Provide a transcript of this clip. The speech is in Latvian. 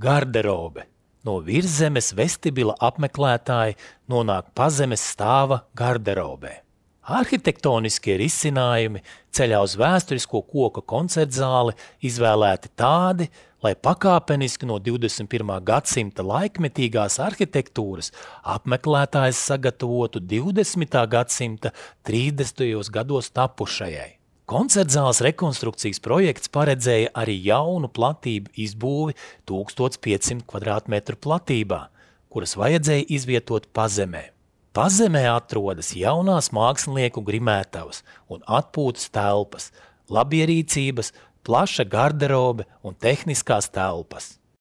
Garderobe. No virszemes vestibila apmeklētāji nonāk pazemes stāva garderobē. Arhitektoniskie risinājumi ceļā uz vēsturisko koka koncertzāli izvēlēti tādi, lai pakāpeniski no 21. gadsimta laikmetīgās arhitektūras apmeklētājs sagatavotu 20. gadsimta 30. gados tapušajai. Koncertzāles rekonstrukcijas projekts paredzēja arī jaunu platību izbūvi 1500 kvadrātmetru platībā, kuras vajadzēja izvietot pazemē. Pazemē atrodas jaunās mākslinieku grimētavas un atpūtas telpas, labierīcības, plaša garderobe un tehniskās telpas.